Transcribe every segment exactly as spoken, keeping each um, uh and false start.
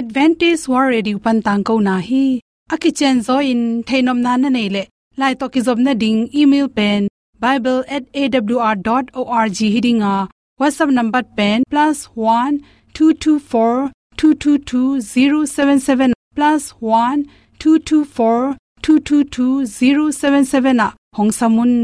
Adventist World Radio pan tangkona hi. A kicianzaw in theihnopna na neih leh, lai tawh kizopna ding email pen bible at A W R dot org hi ding a, WhatsApp number pen plus one two two four two two two zero seven seven, plus one two two four two two two zero seven seven ah hong sam un.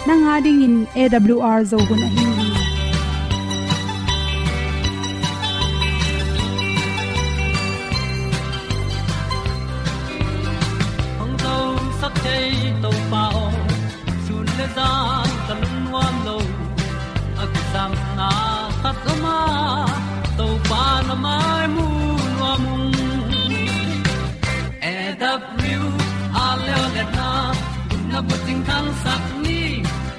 Nang a dingin A W R Zo hun ahi hi. Hong zosak thei Topa aw, sun le zan ka lungnuam lo. A kisapna khat om a, Topa na mai mu nuam ung. A W R leo le na, na bucing khangsak ni.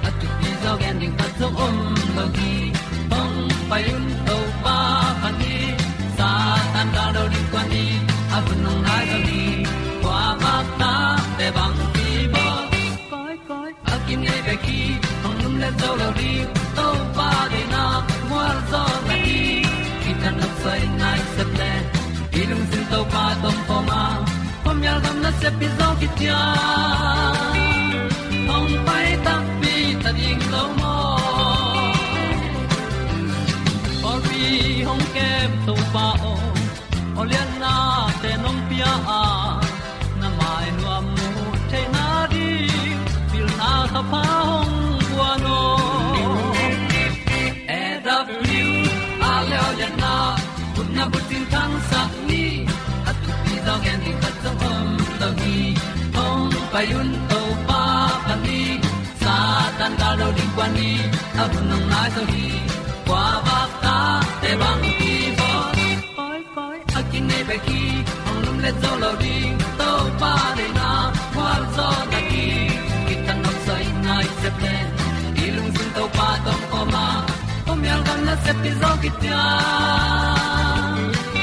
A thupi zaw gen ding khat zong om lo hi. Hong pai un Topa pan hi. Satan gal do ding kua ni. A hun hong nai zo ni. Kua bak ta te bang ki bo. Koi koi a kinei bek hi. Hong lum le zo lo ding. Topa deihna mual zaw na hi. Kitang nok soi nai sep le. I lungsim Topa tawh om a, khuamial gam nasep i zawh khit ciang, hong pai takpi ta ding lo maw? Pawlpi hong kem Topa aw, aw liannate nong pia a, na mai nuam mu theihna ding, pilna thapha hong guan aw. A W R leo le na, khutna bucing khangsak ni. A thupi zaw gen ding khat zong om lo hi. Hong pai un Topa pan hi. Satan gal do ding kua ni. A hun hong nai zo hi. Kua bak ta te bang ki bo. Koi koi a kinei bek hi. Hong lum le zo lo ding. Topa deihna mual zaw na hi. Kitang nok soi nai sep le. I lungsim Topa tawh om a, khuamial gam nasep i zawh khit ciang,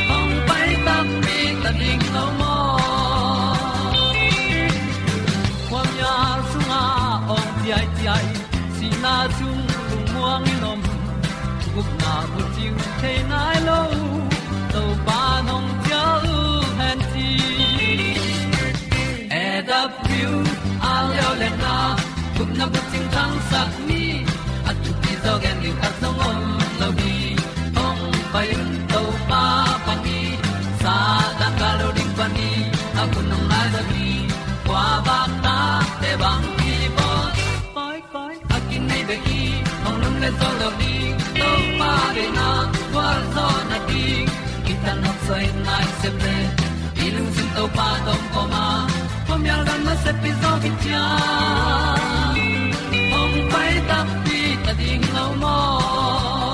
hong pai takpi ta ding lo maw? Khuamial sungah awng ciaiciai, sihna sung lungmuang in om, gupna bucing thei nai lo, Topa nong ciah uh hen ci. A W R leo le na, gupna bucing khangsak ni. A thupi zaw gen ding khat zong om lo hi. Hong pai un Topa pan hi. Satan gal do ding pan hi. A hun hong nai zo hi. Kua bak ta te bang ki bo. Koi koi a kinei bek hi. Hong lum le zo lo ding. Topa deihna mual zaw na ding. Kitang nok soi nai sep le. I lungsim Topa tawh om a, khuamial gam nasep i zawh khit ciang, hong pai takpi ta ding lo maw?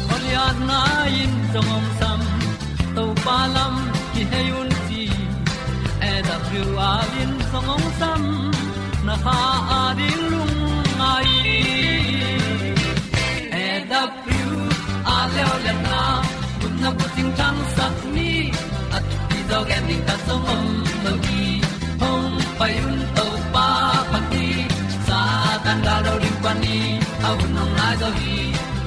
Goliath nai in zong hong sam, Topa lam kihei un ci. A W R in zong hong sam, na kha a ding lungngai. A W R leo le na, gupna bucing khangsak ni. A thupi zaw gen ding khat zong om lo hi. Hong pai un Topa pan hi. Satan gal do ding pan hi. A hun hong nai zo hi.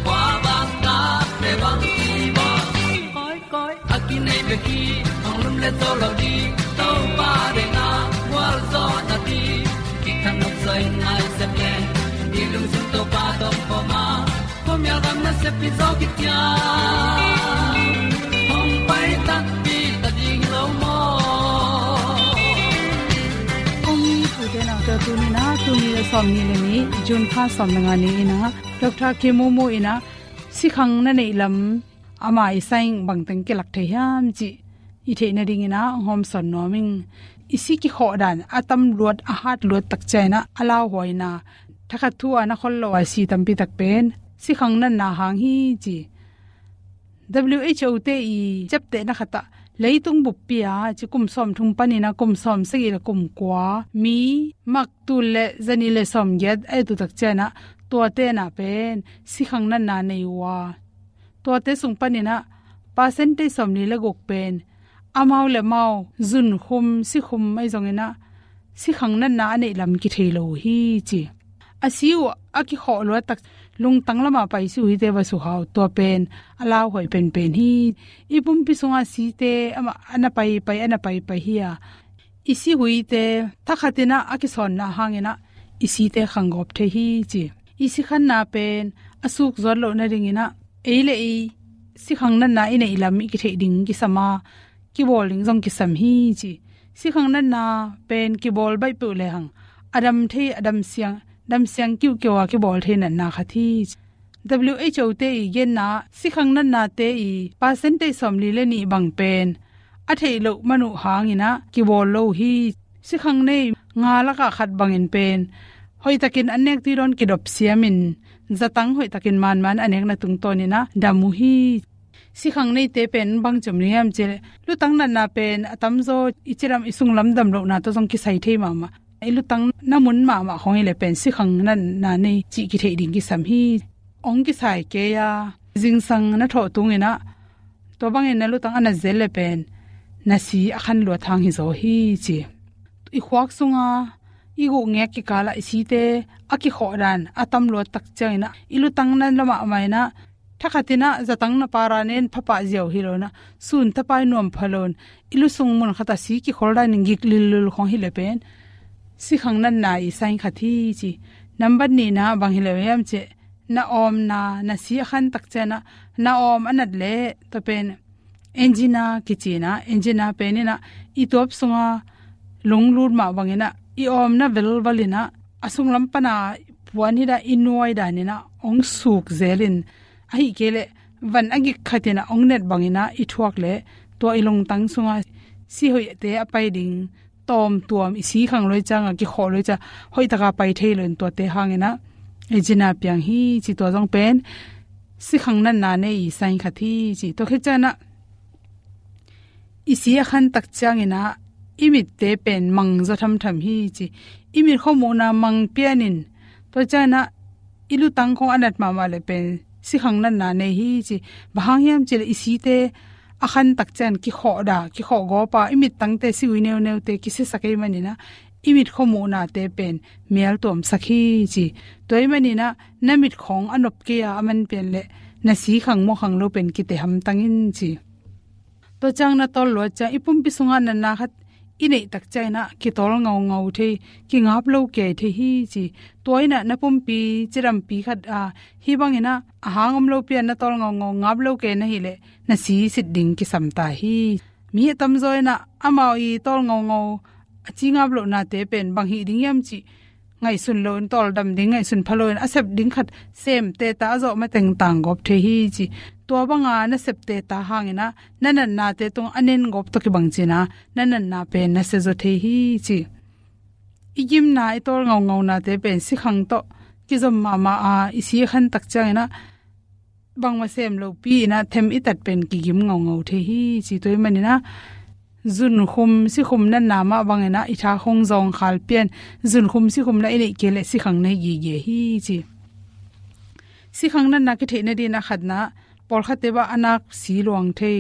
Kua bak ta te bang ki bo. Koi koi a kinei bek hi. Hong lum le zo lo ding. Topa deihna mual zaw na ding. Kitang nok soi nai sep le. I lungsim Topa tawh om a, khuamial gam nasep i zawh khit ciang, hong pai takpi ta ding lo maw? Kong i tute naute, tuni in ah, tul nih le sawmnih le nih, June kha sawm le nga ni in ah, Doctor Kim Mu Mu in ah, sikhang na neih lam, ama i saing bangteng kilak thei hiam cih i theih nadingin ah hong hawmsawn nuam ing. I si kikhawh dan a tam luat, a hat luat tak ciangin ah a lauhuaina Thakhat thu a na khol lo a si tampi tak pen sikhang natna hang hi ci. W H O te i ciaptehna khat ah leitung buppi a ci kum sawm thum panin a kum sawm sagih le kum kua mi mak tul le zanih le sawm giat a et uh tak ciangin a tuate na pen sikhang natna nei uh a, tuate sung panin a percentage sawmli le guk pen amau le mau zunkhum sikhum ahi zongin a sikhang natna a neih lam kithei lo uh hi ci. A si uh a kikhawh luat tak lungtang lamah pai si uh hite va suhau, tua pen a lauhuai penpen hi. I pumpi sungah site amah a na paipai a na paipai hi a, i si huite thakhatin a a kisawnna hangin a i site khanggawp thei hi ci. I sikhanna pen a suk zuat loh nadingin a ei le ei sikhang natna i neih lam i kitheih ding kisam a, kibawl ding zong kisam hi ci. Sikhang natna pen kibawl baih peuh lehang a dam thei, a dam siang, dam siang kiuhkiu a kibawl thei natna khat hi ci. W H O te i genna sikhang natnate i percentage sawmli le nih bang pen a theih loh man uh hangin a kibawl lo uh hi. Sikhang nei nga lakah khat bangin pen hoihtakin an nek tui dawn kidop siamin zatang hoihtakin manman a nekna tungtawnin a dam uh hi. Sikhang neite pen bang ci om ding hiam cih leh lutang natna pen a tamzaw i cidam i sunglam dam lohna tawh zong kisai thei mahmah. I lutang na mun mahmah khawng hi leh pen sikhang natna nei cih kitheih ding kisam hi. Ong kisai kei a, zingsang na thawh tungin a tua bangin na lutang a nat zel leh pen na si a khan luat hang hi zaw hi ci. I khuak sunga i guhngek kikalah i site a kikhawh dan a tam luat tak ciangin a i lutang na la mahmah in a thakhatin a zatang na para nen phapah ziau hi lo in a sun tapai nuam pha lo in i lusung mun khat a si kikhol danin gik lillul khawng hi leh pen sikhang natna i sign khat hi ci. Nambat nihna bang hi lo hiam cih leh na awmna, na si a khan tak ciangin a na awm a nat leh tua pen angina kici in a, angina pen in a i tuap sunga lunglut mah bangin a i awmna velval in a a sunglam pan a puan hi dan i nuai danin a ong suk zelin, ahih kei leh van a gik khatin a ong net bangin a i thuak leh tua i lungtang sunga si hoihte a pai ding tawmtuam i sikhang lo i ciang a kikhawh lo i ciang hoihtaka pai thei lo in tuate hangin a angina piang hi ci. Tua zong pen sikhang natna nei i sign khat hi ci. Tua khit ciangin a i si a khan tak ciangin a i mitte pen mang zaw thamtham hi ci. I mit khuamuhna mang pianin tua ciangin a i lutang khawng a nat mahmah leh pen sikhang natna nei hi ci. Bang hang hiam cih leh i site a khan tak ciang kikhawh dah, kikhawh gawp a i mittangte si ui neuneute kisiasak ahih manin a i mit khuamuhnate pen mial tuamsak hi ci. Tua ahih manin a na mit khawng a nop kei a a man pian leh na sikhang mawkhang lo pen kite hamtang in ci. Tua ciang na tawl luat ciang i pumpi sungah natna khat i neih tak ciangin a kitawl ngaungau thei, kingap lo kei thei hi ci. Tua in a na pumpi cidampi khat a hih bangin a a hang om lopi a na tawl ngaungau, ngap lo kei na hih leh na si sit ding kisam ta hi. Mi a tamzaw in a amau i tawl ngaungau a ci ngap lohnate pen bang hih ding hiam cih ngaihsun lo in, tawldam ding ngaihsun pha lo in a sep ding khat sem teta a zawh mateng tanggawp thei hi ci. Tua banga na sep teta hangin a na natnate tung a nen gawp tawh kibang ci in a na natna pen na sia zaw thei hi ci. I gimna, i tawl ngaungaunate pen sikhang tawh kizom mahmah a i si a khan tak ciangin a bangmah sem lopi in a them i tat pen kigim ngaungau thei hi ci. Tua ahih manin a zunkhum sikhum natna mah bangin a i tha khawng zawngkhal pian, zunkhum sikhum na i neih kei leh sikhang nei gige hi ci. Sikhang natna kitheih nadingin a khatna, pawlkhatte bang a nak si luang thei,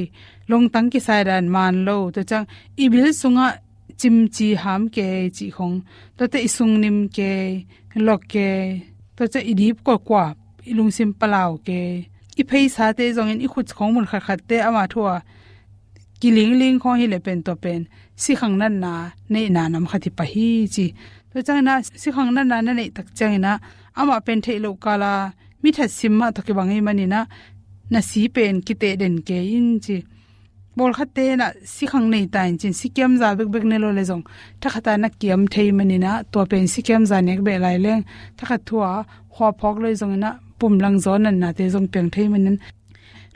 lungtang kisai dan man lo, tua ciang i bil sungah cimci ham kei cih khawng, tuate i sungnim kei, lok kei, tua ciang i dip kuakua, i lungsim palau kei, i pheisate zongin i khut khawng mun khatkhatte amah thu a kilingling khawng hi leh pen tua pen sikhang natna neihna nam khat hi pah hi ci. Tua ciangin a sikhang natna na neih tak ciangin a amah pen theih loh kal a mi that sim mah tawh kibang ahih manin a na si pen kiteh den kei in ci. Pawlkhatte in a sikhang nei ta in ci-in sikiamza bekbek ne lo leh zong thakhat a na kiam thei manin a tua pen sikiamza nek beh lai leng thakhat thu a khua phawk lo hi zongin a pumlang zaw natnate zong piang thei manin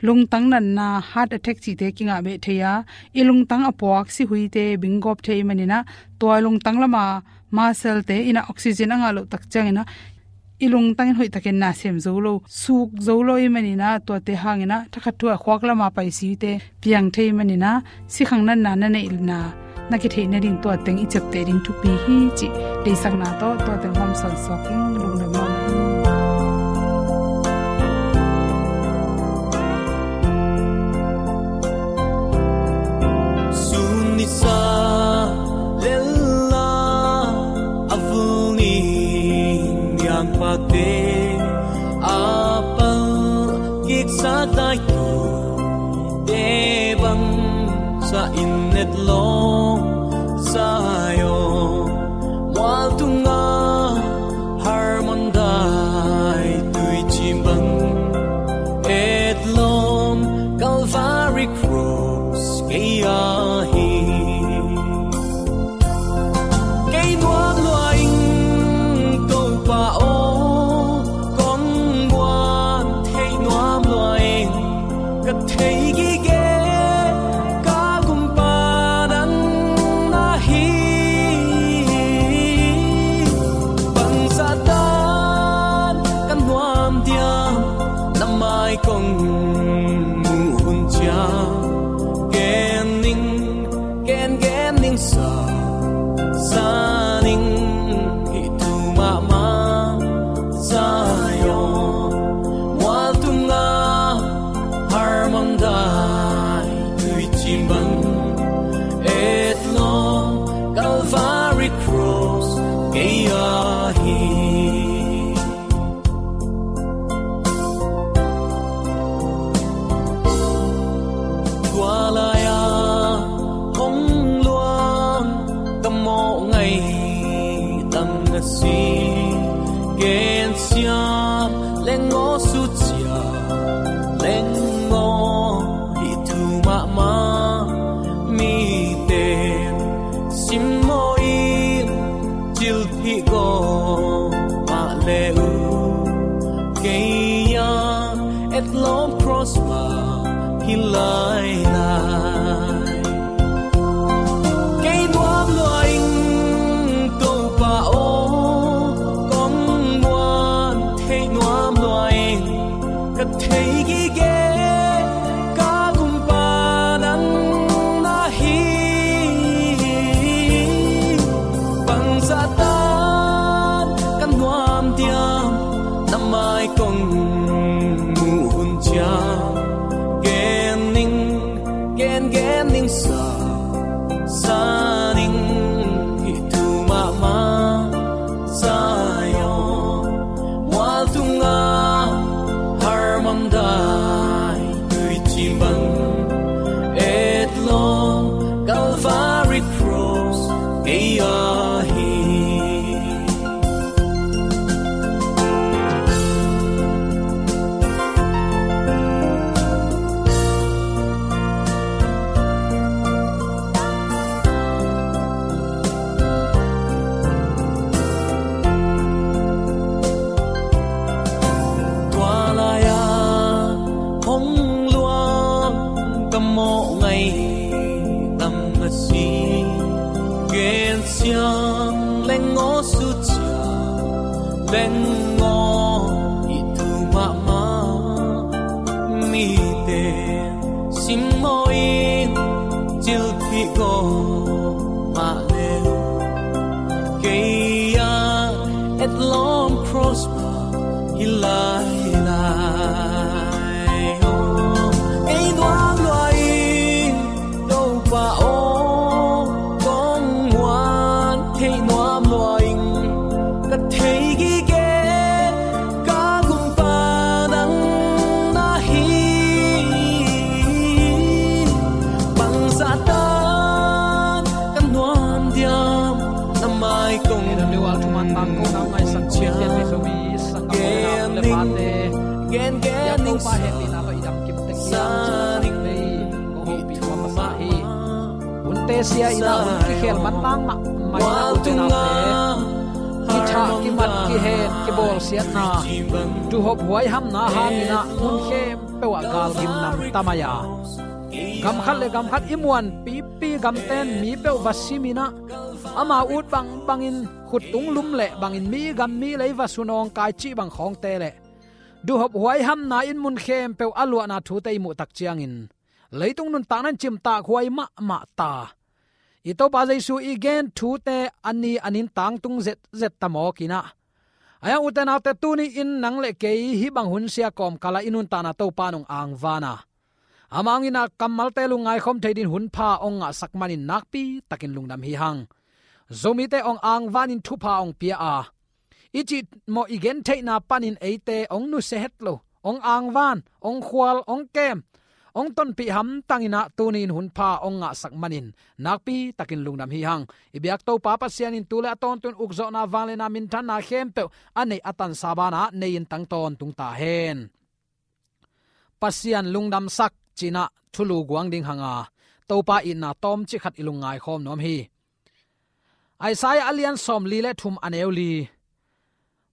lungtang natna, heart attack cihte kingah beh thei a, i lungtang a puak sihuite bing gawp thei manin a tua lungtang lama muscle-te in a oxygen a ngah loh tak ciangin a i lungtangin hoihtakin na sem zo lo, suk zo lo ahih manin ah, tuate hangin ah thakhat thu-ah khuak lamah pai site piang thei ahih manin ah, sikhang natna na neihna na kitheih nading tua teng i ciapteh ding thupi hi cih deihsakna tawh tua teng hawmsawn suak ing. Lungdam mahmah ing. Sun nisa lel a, a vul ning yang pate a pal kiksak dai tu te bang sa in et lawm Zion mual tunga Hermon dai tuicim bang et lawm Calvary Cross kei a hi. Kei nuam lua ing Topa aw, kong muan theih nuam lua ing. Ka thei gige ka gumpa nang na hi. Bangzah tan ka nuam diam, na mai kong muh hun ciang. Gen ning, gen gen ning sa, sa ning hih thu mahmah. Zion mual tunga Hermon dai tuicim bang et lawm Calvary Cross kei a hi. Tua lai-a hong luang ka mawh ngaih tam na si. Gensiam leng aw, susia leng aw, hih thu mahmah mite simmawh in, cilphih gawp mah le uh. Kei a etlawm cross mah hi lailai. Kei nuam lua ing Topa aw, kong muan theih nuam lua ing. Ka thei gige ka gumpa nang na hi. Bangzah tan ka nuam diam, na mai kong muh hun ciang. Gen ning, gen gen ning sa, sa ning hih thu mahmah. Zion mual tunga Hermon dai tuicim bang et lawm Calvary Cross kei a hi. Tua lai-a hong luang ka mawh ngaih tam na si. Gensiam leng aw, susia leng aw, hih thu mahmah mite simmawh in, cilphih gawp mah le uh. Kei a etlawm cross mah hi lailai. Kei nuam lua ing Topa aw, kong muan theih nuam lua ing. Ka thei gige ka gumpa nang na hi. Bangzah tan ka nuam diam, na mai kong. Kei dan deuh a thuman tang ko nang ngaihsak ko ciang. Kei dan deuh a thuman tang ko nang ngaihsak ko ciang. Gen gen ning sa, sa ning hih thu mahmah. Hunte sia in ah hun kikhel manlang mahmah in ah, ute naute, kithah kimat kihen kibawlsiatna, tuhop huaihamna hangin ah hun khempeuh ah gal gimnam tam ai a, gam khat le gam khat i muanpipi gamten mi peuh va sim in ah, Ama ut bangbangin khuttung lum le bangin mi gam mi lei va sunawng kai cih bang khawngte le duhhop huaihamna in mun khempeuh a luahna thute i muh tak ciangin leitung nuntakna in cimtak huai mahmah ta. I Topa Jesu i gen thute a ni a nin tangtung zetzet ta mawk inah. Ahi hang ute naute, tuni in nang le kei hih bang hun sia kawmkala i nuntakna Topa in hong angvana. Amah hong inah kammalte lungngaikhawm thei din hun pha hong ngahsak manin nakpi takin lungdam hi hang. Zomite hong angvanin thupha hong pia a, i cihmawh i gentheihna panin eite hong nusia het lo, hong angvan, hong khual, hong kem, hong tonpih hamtang inah tuni in hun pha hong ngahsak manin nakpi takin lungdam hi hang. I biak Topa Pasian in tu le a tawntung ukzawhna, vangliatna, minthanna khempeuh a neih a tansa banah nei in tang tawntung ta hen. Pasian lungdamsak cinah thulu guang ding hanga Topa itna tawmcik khat i lungngaikhawm nuam hi. Isaiah a lian sawmli le thum a neu li,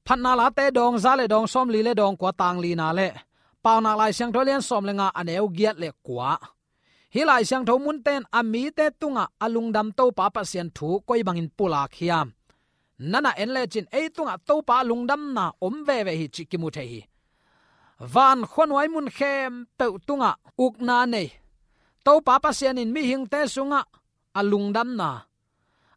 Phatna Late dawng za le dawng sawmli le dawng kua tang lina le Paunak Lai Siangtho a lian sawm le nga a neu giat le kua. Hih Lai Siangtho munte in a mite tungah a lungdam Topa Pasian thu koi bangin pulak hiam? Nana en lecin ei tungah Topa a lungdamna om veve hi cih kimu thei hi. Van khuanuai mun khempeuh tungah ukna nei Topa Pasian in mihingte sungah a lungdamna,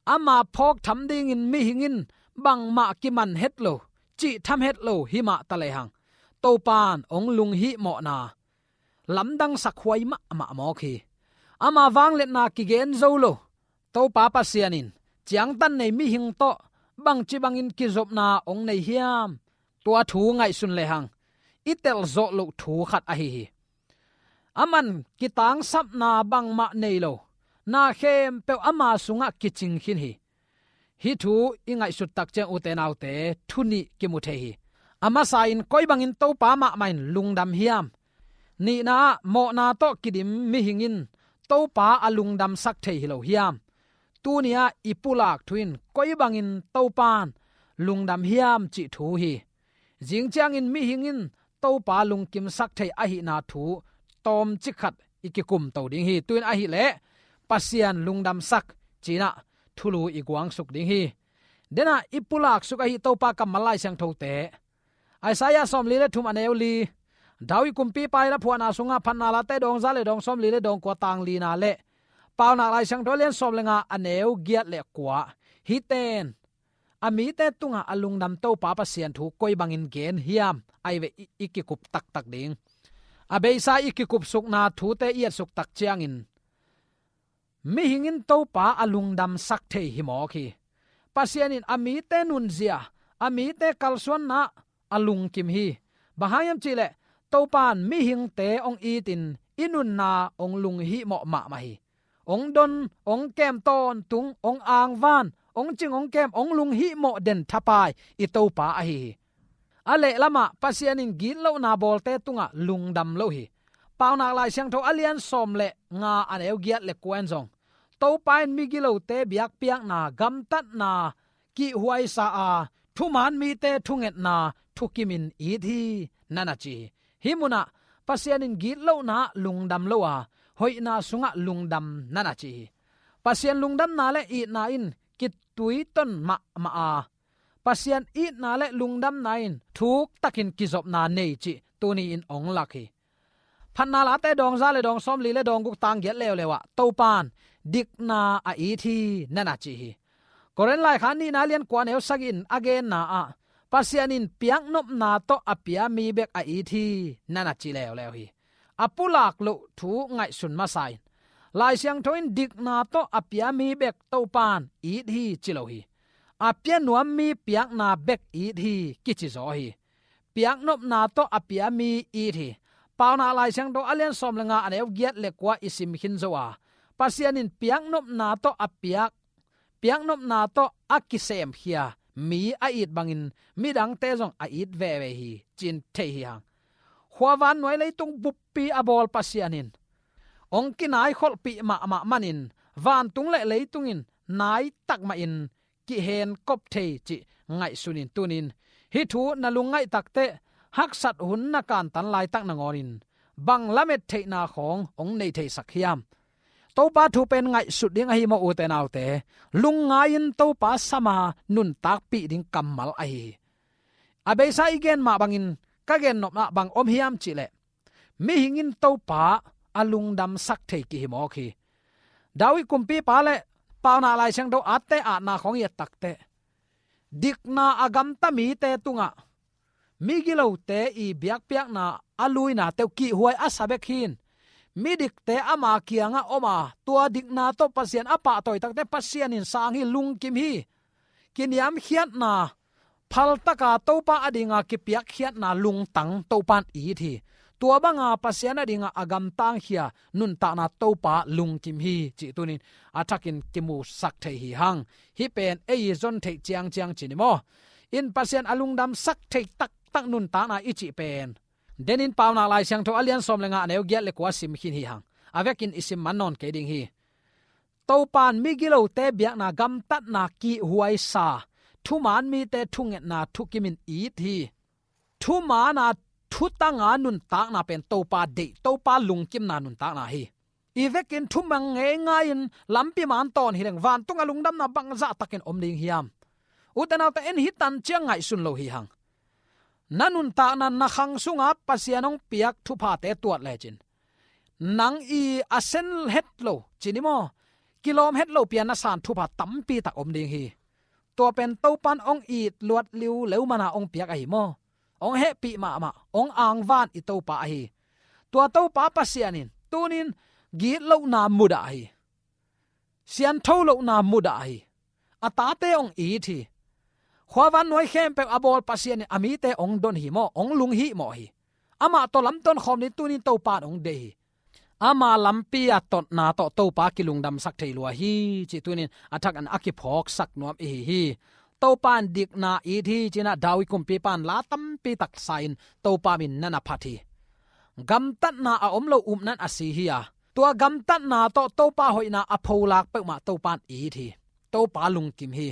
ama phawk tham dingin mihing in bangmah kiman het lo, cih tham het lo hi mah ta lehang, Topa in hong lunghihmawhna lamdangsak huai mahmah mawk hi. Ama vangliatna kigen zo lo Topa Pasian in ciangtan nei mihing tawh bangci bangin kizopna hong nei hiam? Tua thu ngaihsun lehang i telzawh loh thu khat ahi hi. Aman kitangsapna bangmah nei lo, na khempeuh ama sungah kicing khin hi. Hih thu i ngaihsut tak ciang ute naute, thu nih kimu thei hi. A masa in koi bangin Topa mahmah in lungdam hiam? Nihna ah mawhna tawh kidim mihing in Topa a lungdamsak thei hi lo hiam? Tuni ah i pulak thu in koi bangin Topa in lungdam hiam cih thu hi. Zing ciangin mihing in Topa lungkimsak thei ahihna thu tawmcik khat i kikumto ding hi. Tu in ahih leh Pasian lungdamsak cinah thulu i guangsuk ding hi. Denah i pulaksuk ahi Topa kammal Lai Siangthote, Isaiah sawmli le thum a neu li, David kumpipa i laphuahna sungah Phatna Late dawng za le dawng sawmli le dawng kua tang lina le Paunak Lai Siangtho a lian sawm le nga a neu giat le kua, hihte in a mite tungah a lungdam Topa Pasian thu koi bangin gen hiam, ahi ve i, i kikup taktak ding. A beisa i kikupsukna thute i etsuk tak ciangin mihing in Topa a lungdamsak thei hi mawk hi. Pasian in a mite nunzia, a mite kalsuanna a lungkim hi. Bang hang hiam cihleh Topa in mihingte hong itin i nunna hong lunghihmawh mahmah hi. Hong don, hong kem tawntung, hong angvan, hong cing, hong kem, hong lunghihmawh den thapai i Topa ahi hi. A lehlamah Pasian in gitlohna bawlte tungah lungdam lo hi. Paunak Lai Siangtho a lian sawm le nga a neu giat le kua in zong Topa in migilote biakpiakna, gamtatna kihhuaisa a, thuman mite thungetna thukimin it hi, nana ci hi. Hih munah Pasian in gitlohna ah lungdam lo a, hoihna sungah lungdam, nana ci hi. Pasian lungdamna le itna in kituiton mahmah a, Pasian itna le lungdamna in thuktakin kizopna nei cih tuni in hong lak hi. Phatna Late dawng za le dawng sawmli le dawng guk tang giat leuleu ah Topa in dikna a it hi, nana ci hi. Korin laikhak nihna lian kua neu sagih in a genna ah Pasian in piaknopna tawh a pia mi bek a it hi, nana ci leuleu hi. A pulak loh thu ngaihsun masa in, Lai Siangtho in dikna tawh a pia mi bek Topa in it hi ci lo hi. A pia nuam mi piakna bek it hi kici zaw hi. Piaknopna tawh a pia mi it hi. Paunak Lai Siangtho a lian sawm le nga a neu giat le kua i sim khin zo a, Pasian in piaknopna tawh a piak, piaknopna tawh a kisemkhia mi a it bangin midangte zong a it veve hi, ci-in thei hi hang. Khua vannuai leitung buppi a bawl Pasian in hong kinaikholhpih mahmah manin vantung le leitung in naitak mahin kihenkop thei cih ngaihsun in tuni in hih thu na lungngaih takteh haksat hun na kantan laitak nangawnin bang lamet theihna khawng hong nei theisak hiam? Topa thu pen ngaihsut ding ahi maw, ute naute? Lungngai-in Topa sama nuntakpih ding kammal ahi hi. A beisa i gen mah bangin ka gennopna bang om hiam cihleh, mihing in Topa a lungdamsak thei kihi mawk hi. David kumpipa le Paunak Lai Siangtho atte atna khawng i et takteh, dikna a gamta mite tungah migilote i biakpiakna a luinate uh kihhuai a sa bek hi-in, midikte ama kiangah om a, tua dikna tawh Pasian a pahtawi takteh Pasian in sang hi, lungkim hi. Kiniamkhiatna, phaltaka Topa adinga kipiakkhiatna lungtang Topa in it hi. Tua banga Pasian adinga a gamtangkhia nuntakna Topa lungkim hi cih tunin a thakin kimusak thei hi hang. Hih pen ei i zon theih ciangciang ci ni maw? In Pasian a lungdamsak thei taktak nuntakna i cih pen, denin Paunak Lai Siangtho a lian sawm le nga, a neu giat le kua sim khin hi hang. A vekin i sim man nawn kei ding hi. Topa in migilote biakna gamtatna kihhuai sa, thuman mite thungetna thukimin it hi. Thuman a thutanga nuntakna pen Topa deih, Topa lungkimna nuntakna hi. I vekin thumang ngeingai-in lampi man tawn hileng, vantunga lungdamna bangzah takin om ding hiam? Ute naute, en hi tan ciang ngaihsun lo hi hang. Na nuntakna, na khang sunga Pasian hong piak thuphate tuat lecin, nang i a sen het lo ci ni maw, kilawm het lo pian na san thupha tampi tak om ding hi. Tua pen Topa in hong it luat liu leu mana hong piak ahi maw? Hong hehpih mahmah, hong angvan i Topa ahi. Tua Topa Pasian in tunin gitlohna mudah hi. Siantho lohna mudah hi. A tate hong it hi. Khuavan nuai khempeuh a bawl Pasian in a mite hong don hi maw, hong lunghimawh hi. Amah tawh lamton khawm ding tunin Topa in hong deih hi. Ama lampi a totna tawh Topa kilungdamsak thei lua hi cih tunin a thakin a kiphawksak nuam i hi hi. Topa in dikna it hi ci-in ah David kumpipa in la tampi tak sa-in Topa min nan a phat hi. Gamtatna a om lo upna in a si hi a, tua gamtatna tawh Topa hoihna a pholak peuhmah Topa in it hi. Topa lungkim hi.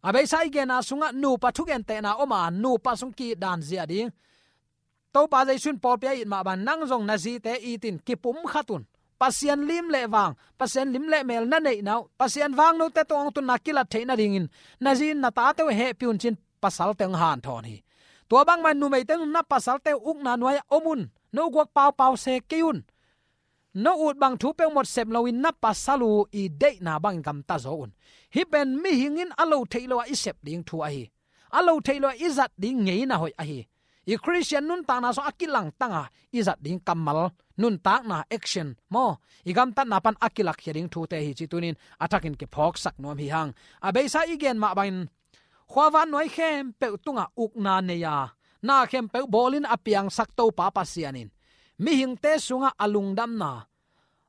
A beisa i genna sungah nupa thugentehna om a, nupa sung ki-it dan zia ding. Topa Jesu in pawlpi a it mah bang, nang zong na zite it in, kipumkhat un. Pasian lim le vang, Pasian lim le mel na neihna uh, Pasian vangnote tungah hong tunna kilat theih nadingin na zi in na tate uh hehpih un ci-in pasalte hong hanthawn hi. Tua bangmah numeite un na pasalte uh ukna nuai-ah om un. No guak paupau se kei un. No ut bang thu peuhmah sep loin na pasal uh i deihna bangin gamta zaw un. Hih pen mihing in a lo theih lo-ah i sep ding thu ahi. A lo theih lo-ah i zat ding ngeina hoih ahi. I Khristian nuntakna sung a kilangtanga i zat ding kammal, nuntakna, action maw, i gamtatna pan a kilakkhia ding thute hi cih tunin a thakin kiphawksak nuam hi hang. A beisa i gen mah bangin, khuavan nuai khempeuh tungah ukna nei a, na khempeuh bawlin a piangsak Topa Pasian in mihingte sungah a lungdamna,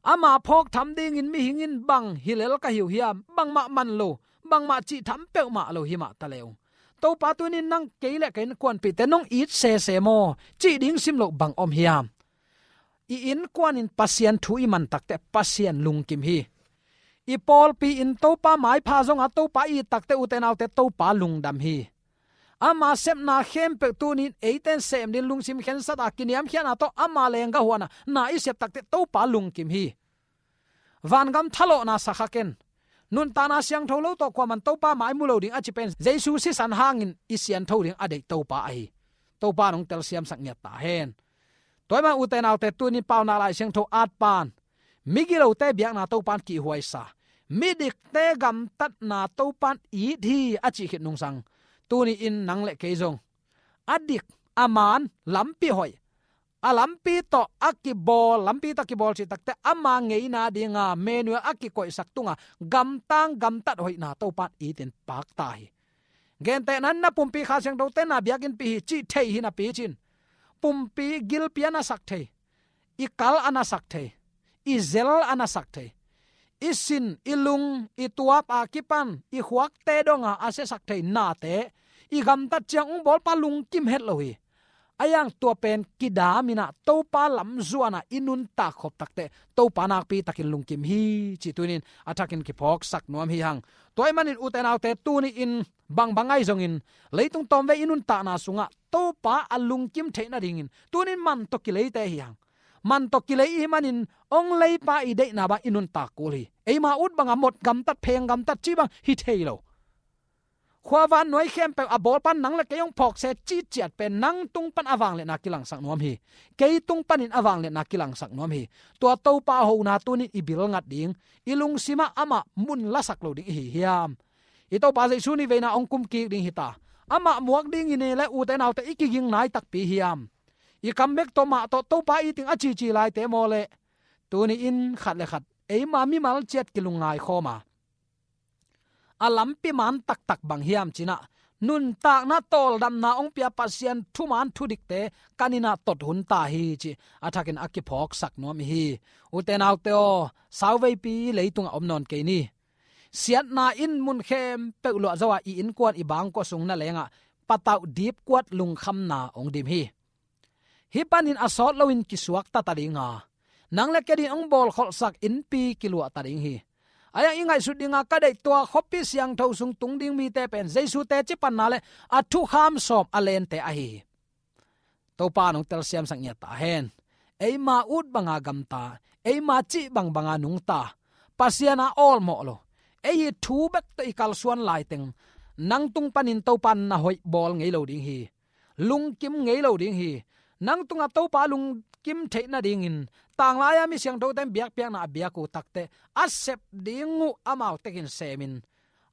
ama phawk tham dingin mihing in bang hi lel ka hi uh hiam, bangmah man lo, bangmah cih tham peuhmah lo hi mah ta le ung. Topa tunin nang kei le ka innkuanpihte nong it sese maw, cih ding sim loh bang om hiam? I innkuan in Pasian thu i man takteh Pasian lungkim hi. I pawlpi in Topa maipha zonga Topa i it takteh, ute naute, Topa lungdam hi. Ama sepna khempeuh tunin eite in sem ding lungsim khensat a, kiniamkhiatna tawh ama leenggah huan a na i sep takteh Topa lungkim hi. Vangam thalawhna sa kha ken. Nuntakna siangtho lo tawh kuaman Topa mai mu lo ding a ci pen Jesu sisan hangin i siantho ding a deih Topa ahi. Topa in hong telsiamsak ngiat ta hen. Tua ahih manin, ute naute, tuni Paunak Lai Siangtho atpa in migilote biakna Topa in kihhuai sa, midikte gamtatna Topa in it hi a cih khit nungsang, tuni in nang le kei zong a dik, a man, lampi hoih, a lampi tawh a kibawl, lampi tawh kibawl cih takteh ama ngeina dinga Emmanuel a kikoihsak tunga gamtang gamtat hoihna Topa in it in pak ta hi. Gentehna in, na pumpi Kha Siangthote na biakinnpi hi cih thei hi napi cin, pumpi gilpi a na sak thei, i kal a na sak thei, i zel a na sak thei, i sin, i lung, i tuap a kipan, i khuakte donga a siasak thei nate i gamtat ciang ung bawlpa lungkim het lo hi. A hang tua pen kidam in ah Topa lam zuan a i nuntak khop takteh Topa nakpi takin lungkim hi cih tuni in a thakin kiphawksak nuam hi hang. Tua ahih manin, ute naute, tuni in bangbang ahi zongin leitung tawmvei i nuntakna sungah Topa a lungkim theih nadingin tuni in man tawh kileite hi hang. man tawh kilei i hih manin hong leipa i deihna bang i nuntak kul hi. Eima ut banga mot gamtat, pheng gamtat cih bang hi thei lo. Khua vannuai khempeuh a bawl pan nang le kei hong phawk se cih ciat pen nang tung pan a vangliatna kilangsak nuam hi. Kei tung panin a vangliatna kilangsak nuam hi. Tua Topa hona tunin i bil ngat ding, i lungsimah amah mun lasak lo ding i hi hiam? I Topa Jesu niveina hong kum kik ding hi ta. Amah muak ding i ne le ute naute i kiging nai takpi hiam? I kam bek tawh mah tawh Topa i ting a cici laite maw le? Tuni in khat le khat eima mimal ciat kilungngai khawm a, a lampi man taktak bang hiam ci-in ah, nuntakna tawldamna hong pia Pasian thuman thudikte kan in ah tot hun ta hi cih a thakin a kiphawksak nuam i hi. Ute naute aw, sauveipi leitungah om nawn kei ni. Siatna in mun khempeuh luah zo a, i innkuan i bangkua sung na lengah patauh dipkuat lungkhamna hong dim hi. Hih panin a sawt loin kisuakta ta ding a, nang le kei adingin hong bawlkholhsak innpi kiluah ta ding hi. Ahi hang i ngaihsut dinga ka deih tua khuapi siangtho sung tung ding mite pen Jesu teci panna le a thukham sawm a lente ahi hi. Topa in hong telsiamsak ngiat ta hen. Eima ut banga gamta, eima cih bangbanga nungta, Pasian a awlmawh lo, ei i thu bek tawh i kalsuan laiteng, nang tung panin Topa in na hoih bawl ngei lo ding hi. Lungkim ngei lo ding hi. Nang tungah Topa lungkim theih nadingin, tanglai-a mi siangthote in biakpiakna a biak uh takteh a sep ding uh amau tekin semin,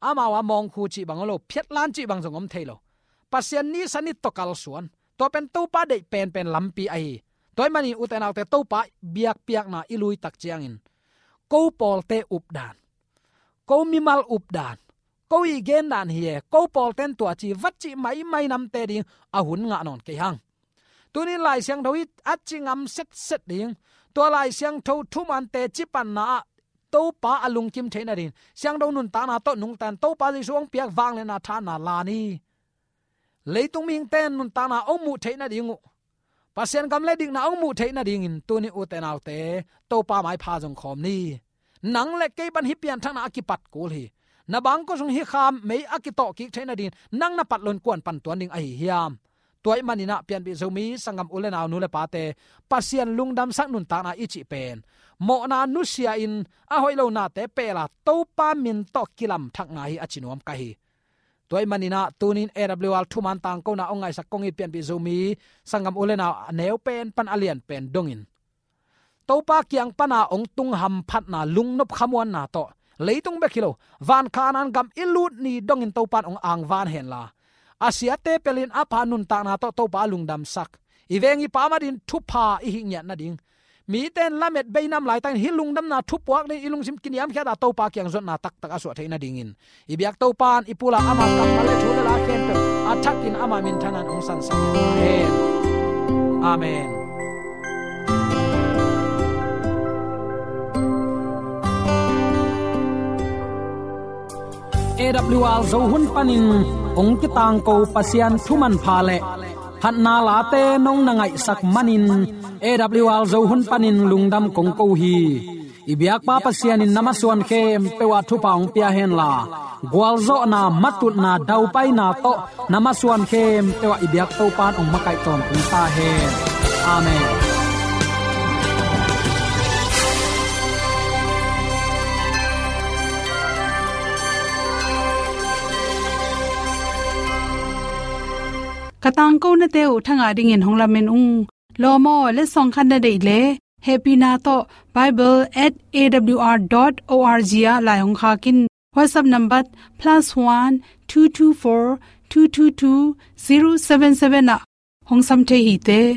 amau a mawngkhu cih bang om lo, phiatlan cih bang zong om thei lo. Pasian ni sa ni tawh kalsuan, tua pen Topa deih penpen lampi ahi. Tua ahih manin ute naute, Topa biakpiakna i lui tak ciangin, ko pawlte updan, ko mimal updan, ko i gendan hi e, ko pawlten tua ci, va cih maimai namte ding a hun ngah nawn kei hang. Tunin Lai Siangtho hi a ci ngam setset ding. Tua Lai Siangtho thumante cipanna ah Topa a lungkim theih nadingin siangtho nuntakna tawh nungta in Topa Jesu hong piak vangliatna thahatna la ni. Leitung mihingte in nuntakna hong muh theih nading uh, Pasian gam le dikna hong muh theih nadingin tuni ute naute, Topa maipha zong khawm ni. Nang le kei pan hih pianthakna a kipat kul hi. Na bangkua sung hih kha mei a kitawh kik theih nadingin nang na pat loin kua'n pan tuan ding ahi hiam? Tua ahih manin ah Pianpih Zomi sanggam u le nau, nu le pate, Pasian lungdamsak nuntakna i cih pen mawhna nusia-in a hoih lo nate peel a, Topa min tawh kilamthakna hi a ci nuam ka hi. Tua ahih manin ah tunin A W R thuman tangkona hong ngaihsak kong it Pianpih Zomi sanggam u le nau, a neu pen pan a lian pen dongin, Topa kiang pana hong tung hamphatna, lungnop khamuanna tawh, leitung bek hi lo, van Kanaan gam i lut ni dongin Topa in hong angvan henla, a siate pelin a pha nuntakna tawh Topa lungdamsak, i veng i pam adingin thupha i hih ngiat nading, mite in lamet bei nam laitakin hih lungdamna thupuak dingin i lungsim kiniamkhiat a, Topa kiang zotna taktak a suah theih nadingin, i biak Topa in i pul a, ama kammal le thu le la khempeuh a thakin ama minthanna in hong sansak hen. Amen. A W R Zo hun panin hong kitangko Pasian thu manpha le phatna late nong na ngaihsak manin, A W R Zo hun panin lungdam kong ko hi. I biakpa Pasian in na masuan khempeuh ah thupha hong pia henla, gualzawhna, matutna, daupaina tawh na masuan khempeuh ah i biak Topa in hong makaih tawntung ta hen. Amen. Ka tangkonate uh thangah dingin hong lamen ung. Lawm aw, letsong khat na deih leh, hehpihna tawh bible at A W R dot O R G ah lai hong khak in. WhatsApp number plus one two two four two two two zero seven seven ah hong sam thei hi te.